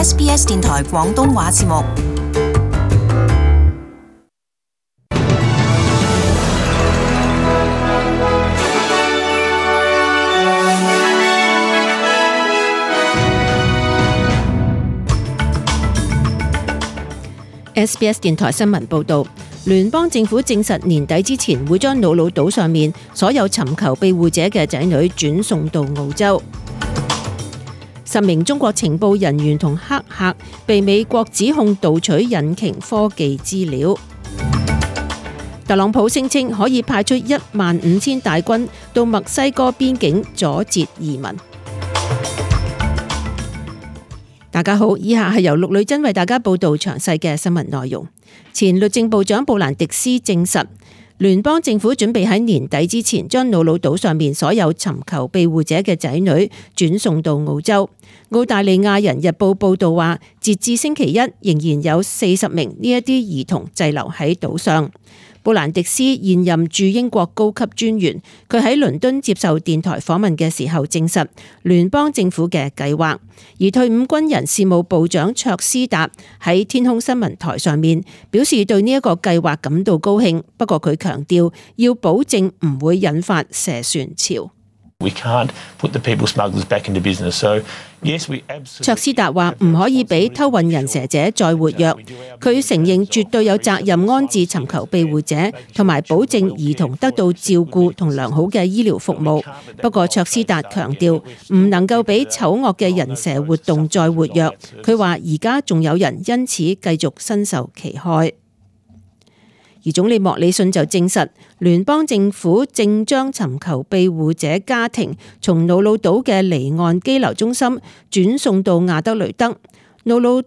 SBS 電台廣東話節目。SBS 電台新聞報導，聯邦政府證實年底之前會將瑙魯島上面所有尋求庇護者嘅仔女轉送到澳洲。10名中國情報人員同黑客被美國指控盜取引擎科技資料。特朗普聲稱可以派出15000大軍到墨西哥邊境阻截移民。大家好，以下係由陸女珍為大家報道詳細嘅新聞內容。前律政部長布蘭迪斯證實，聯邦政府準備喺年底之前將瑙魯島上面所有尋求庇護者嘅仔女轉送到澳洲。澳大利亞人日報報道話，截至星期一，仍然有40名呢一啲兒童滯留喺島上。布蘭迪斯現任駐英國高級專員，佢喺倫敦接受電台訪問嘅時候證實聯邦政府嘅計劃。而退伍軍人事務部長卓斯達喺天空新聞台上面表示對呢一個計劃感到高興，不過佢強調要保證唔會引發蛇船潮。卓斯達話唔可以俾偷運人蛇者再活躍，佢承認絕對有責任安置尋求庇護者，同埋保證兒童得到照顧同良好嘅醫療服務。不過卓斯達強調唔能夠俾醜惡嘅人蛇活動再活躍。佢話而家仲有人因此繼續身受其害。而總理莫里遜就證實，聯邦政府正將尋求庇護者家庭從瑙魯島嘅離岸羈留中心轉送到亞德雷德。瑙魯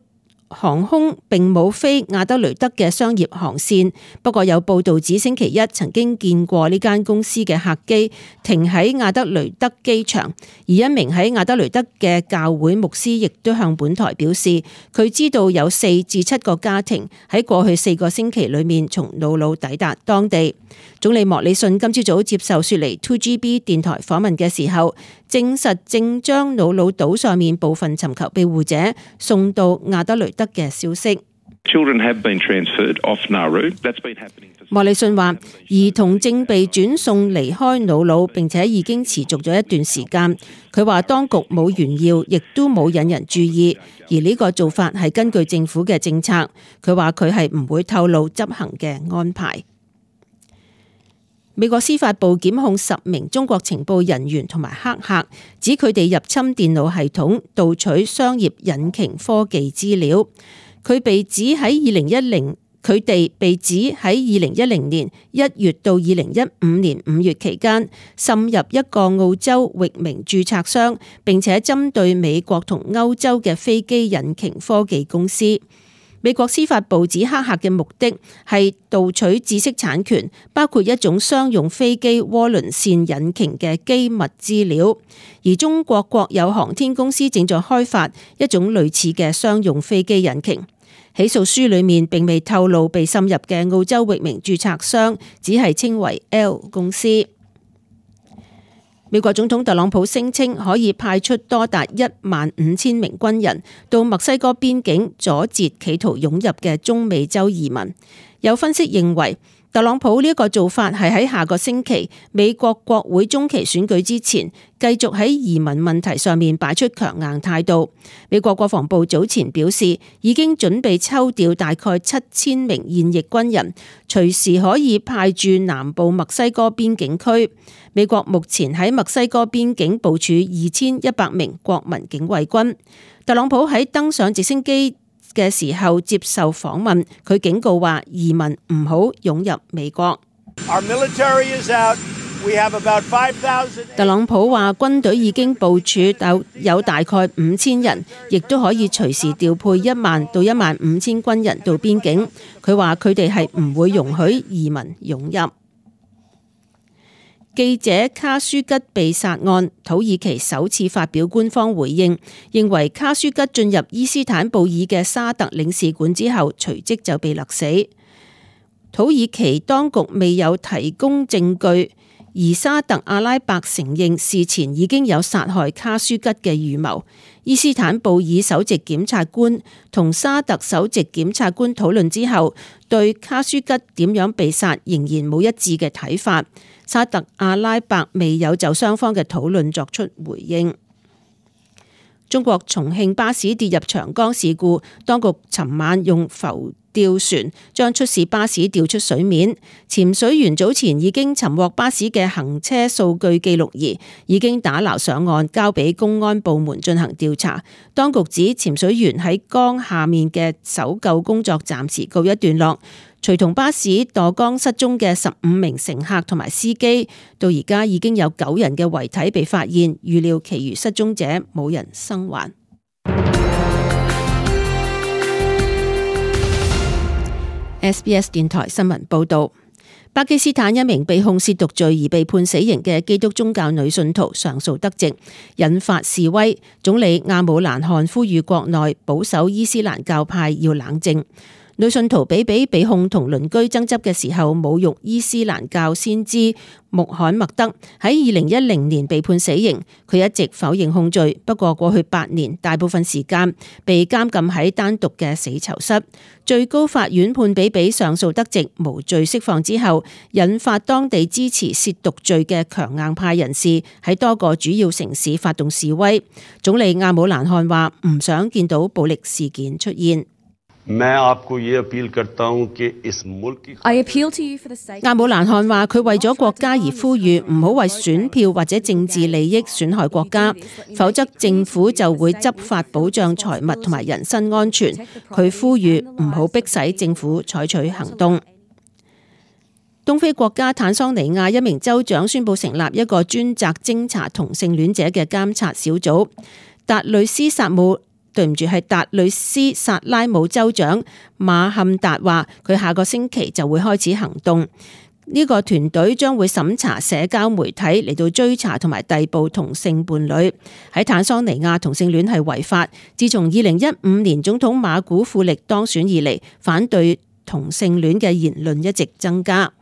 航空並冇飛亞德雷德嘅商業航線，不過有報道指星期一曾經見過呢間公司嘅客機停喺亞德雷德機場，而一名喺亞德雷德嘅教會牧師亦都向本台表示，佢知道有4至7個家庭喺過去4個星期裏面從瑙魯抵達當地。總理莫里遜今朝早接受雪梨 2GB 電台訪問嘅時候，證實正將瑙魯島上面部分尋求庇護者送到亞德雷德嘅消息。莫里遜話，兒童正被轉送離開瑙魯，並且已經持續咗一段時間。佢話當局冇炫耀，亦都冇引人注意，而呢個做法係根據政府嘅政策。佢話佢係唔會透露執行嘅安排。美國司法部檢控10名中國情報人員同埋黑客，指佢哋入侵電腦系統，盜取商業引擎科技資料。佢哋被指喺2010年1月到2015年5月期間，滲入一個澳洲域名註冊商，並且針對美國同歐洲嘅飛機引擎科技公司。美國司法部指黑客嘅目的係盜取知識產權，包括一種商用飛機渦輪線引擎嘅機密資料。而中國國有航天公司正在開發一種類似嘅商用飛機引擎。起訴書裏面並未透露被滲入嘅澳洲域名註冊商，只係稱為 L 公司。美國總統特朗普聲稱可以派出多達15000名軍人到墨西哥邊境阻截企圖湧入嘅中美洲移民。有分析認為，特朗普呢一個做法係喺下個星期美國國會中期選舉之前，繼續喺移民問題上面擺出強硬態度。美國國防部早前表示，已經準備抽調大概7000名現役軍人，隨時可以派駐南部墨西哥邊境區。美國目前喺墨西哥邊境部署2100名國民警衛軍。特朗普喺登上直升機嘅時候接受訪問，佢警告話移民唔好湧入美國。特朗普話軍隊已經部署有大概5000人，亦都可以隨時調配10000到15000軍人到邊境。佢話佢哋係唔會容許移民湧入。記者卡舒吉被殺案，土耳其首次發表官方回應，認為卡舒吉進入伊斯坦布爾嘅沙特領事館之後，隨即就被勒死。土耳其當局未有提供證據，而沙特阿拉伯承認事前已經有殺害卡舒吉嘅預謀。伊斯坦布爾首席檢察官同沙特首席檢察官討論之後，對卡舒吉點樣被殺仍然冇一致嘅睇法。沙特阿拉伯未有就雙方嘅討論作出回應。中國重慶巴士跌入長江事故，當局尋晚用浮吊船將出事巴士吊出水面。潛水員早前已經尋獲巴士嘅行車數據記錄儀，已經打撈上岸，交俾公安部門進行調查。當局指潛水員喺江下面嘅搜救工作暫時告一段落。隨同巴士墮江失蹤嘅15名乘客同埋司機，到而家已經有9人嘅遺體被發現，預料其餘失蹤者冇人生還。SBS 電台新聞報道，巴基斯坦一名被控褻瀆罪而被判死刑嘅基督宗教女信徒上訴得直，引發示威。總理阿姆蘭汗呼籲國內保守伊斯蘭教派要冷靜。女信徒比比被控同鄰居爭執嘅時候侮辱伊斯蘭教先知穆罕默德，喺2010年被判死刑。佢一直否認控罪，不過過去8年大部分時間被監禁喺單獨嘅死囚室。最高法院判比比上訴得直，無罪釋放之後，引發當地支持褻瀆罪嘅強硬派人士喺多個主要城市發動示威。總理阿姆蘭汗話唔想見到暴力事件出現。阿姆蘭汗話佢為咗國家而呼籲唔好為選票或者政治利益損害國家，否則政府就會執法保障財物同埋人身安全。佢呼籲唔好迫使政府採取行動。東非國家坦桑尼亞一名州長宣布成立一個專責偵查同性戀者嘅監察小組。達雷斯薩拉姆州長馬坎達話，佢下個星期就會開始行動。呢個團隊將會審查社交媒體嚟到追查同埋逮捕同性伴侶。喺坦桑尼亞同性戀係違法。自從2015年總統馬古庫力當選以嚟，反對同性戀嘅言論一直增加。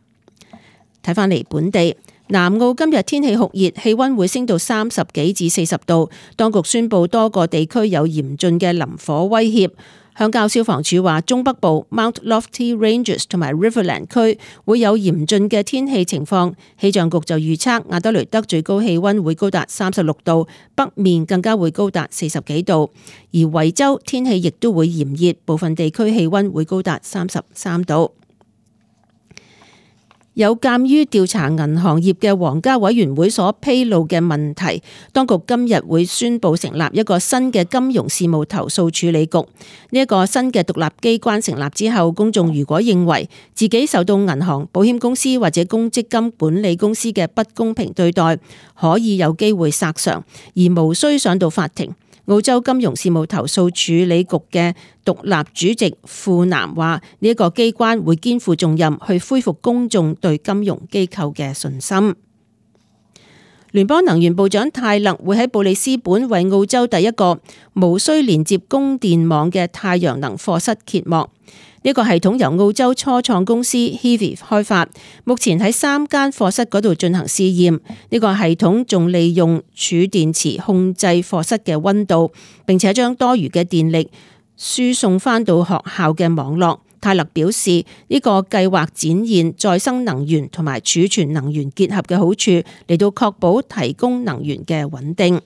睇返嚟本地。南澳今日天氣酷熱，氣溫會升到30幾至40度。當局宣布多個地區有嚴峻嘅林火威脅。鄉郊消防處話，中北部 Mount Lofty Ranges 同埋 Riverland 區會有嚴峻嘅天氣情況。氣象局就預測亞德雷德最高氣溫會高達36度，北面更加會高達40幾度。而維州天氣亦都會炎熱，部分地區氣溫會高達33度。有鑑於調查銀行業嘅皇家委員會所披露嘅問題，當局今日會宣布成立一個新嘅金融事務投訴處理局。呢一個新嘅獨立機關成立之後，公眾如果認為自己受到銀行、保險公司或者公積金管理公司嘅不公平對待，可以有機會索償，而無需上到法庭。澳洲金融事務投訴處理局嘅獨立主席富南話：呢一個機關會肩負重任，去恢復公眾對金融機構嘅信心。聯邦能源部長泰勒會喺布里斯本為澳洲第一個無需連接供電網嘅太陽能課室揭幕。呢個系統由澳洲初創公司 Hivi 開發，目前喺3間課室嗰度進行試驗。呢個系統仲利用儲電池控制課室嘅溫度，並且將多餘嘅電力輸送翻到學校嘅網絡。泰勒表示，呢個計劃展現再生能源同埋儲存能源結合嘅好處，嚟到確保提供能源嘅穩定。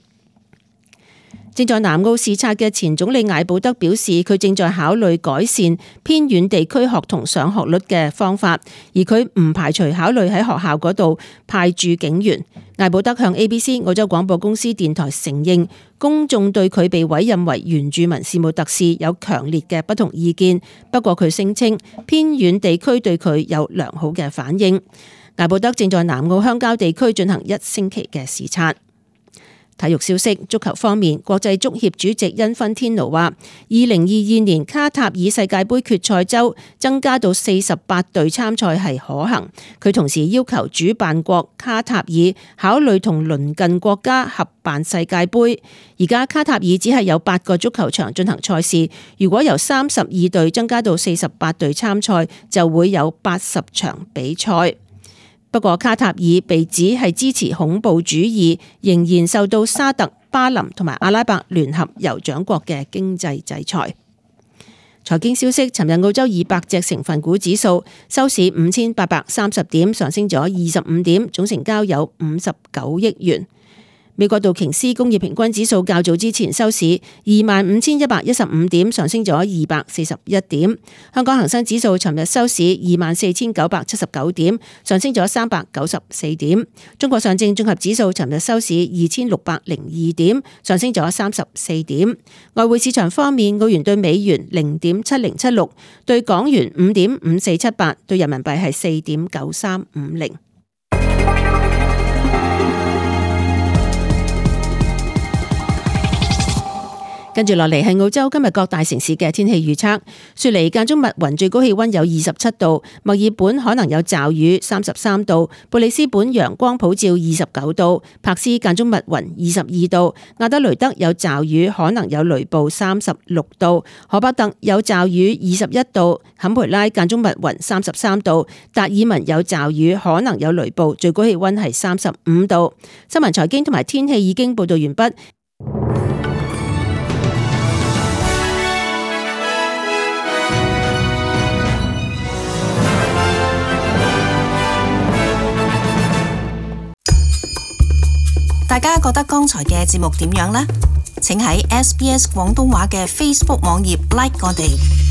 正在南澳視察嘅前總理艾保德表示，佢正在考慮改善偏遠地區學童上學率嘅方法，而佢唔排除考慮喺學校嗰度派駐警員。艾保德向 ABC 澳洲廣播公司電台承認，公眾對佢被委任為原住民事務特使有強烈嘅不同意見，不過佢聲稱偏遠地區對佢有良好嘅反應。艾保德正在南澳鄉郊地區進行1星期嘅視察。體育消息，足球方面，國際足協主席因芬天奴話，2022年卡塔爾世界盃決賽周增加到48隊參賽係可行。佢同時要求主辦國卡塔爾考慮同鄰近國家合辦世界盃。而家卡塔爾只係有8個足球場進行賽事，如果由32隊增加到48隊參賽，就會有80場比賽。不過卡塔爾被指係支持恐怖主義，仍然受到沙特、巴林同埋阿拉伯聯合酋長國嘅經濟制裁。財經消息，尋日澳洲200隻成分股指數收市5830點，上升咗25點，總成交有59億元。美國道瓊斯工業平均指數較早之前收市25,115點，上升咗241點。香港恒生指數尋日收市24,979點，上升咗394點。中國上證綜合指數尋日收市2,602點，上升咗34點。外匯市場方面，澳元對美元0.7076，對港元5.5478，對人民幣係4.9350。跟住落嚟係澳洲今日各大城市嘅天氣預測。雪梨間中密雲，最高氣溫有27度；墨爾本可能有驟雨，33度；布里斯本陽光普照，29度；柏斯間中密雲，22度；亞德雷德有驟雨，可能有雷暴，36度；荷伯特有驟雨，21度；坎培拉間中密雲，33度；達爾文有驟雨，可能有雷暴，最高氣溫係35度。新聞財經同埋天氣已經報道完畢。大家覺得剛才嘅節目點樣呢？請喺SBS 廣東話嘅 Facebook 網頁 like 我哋。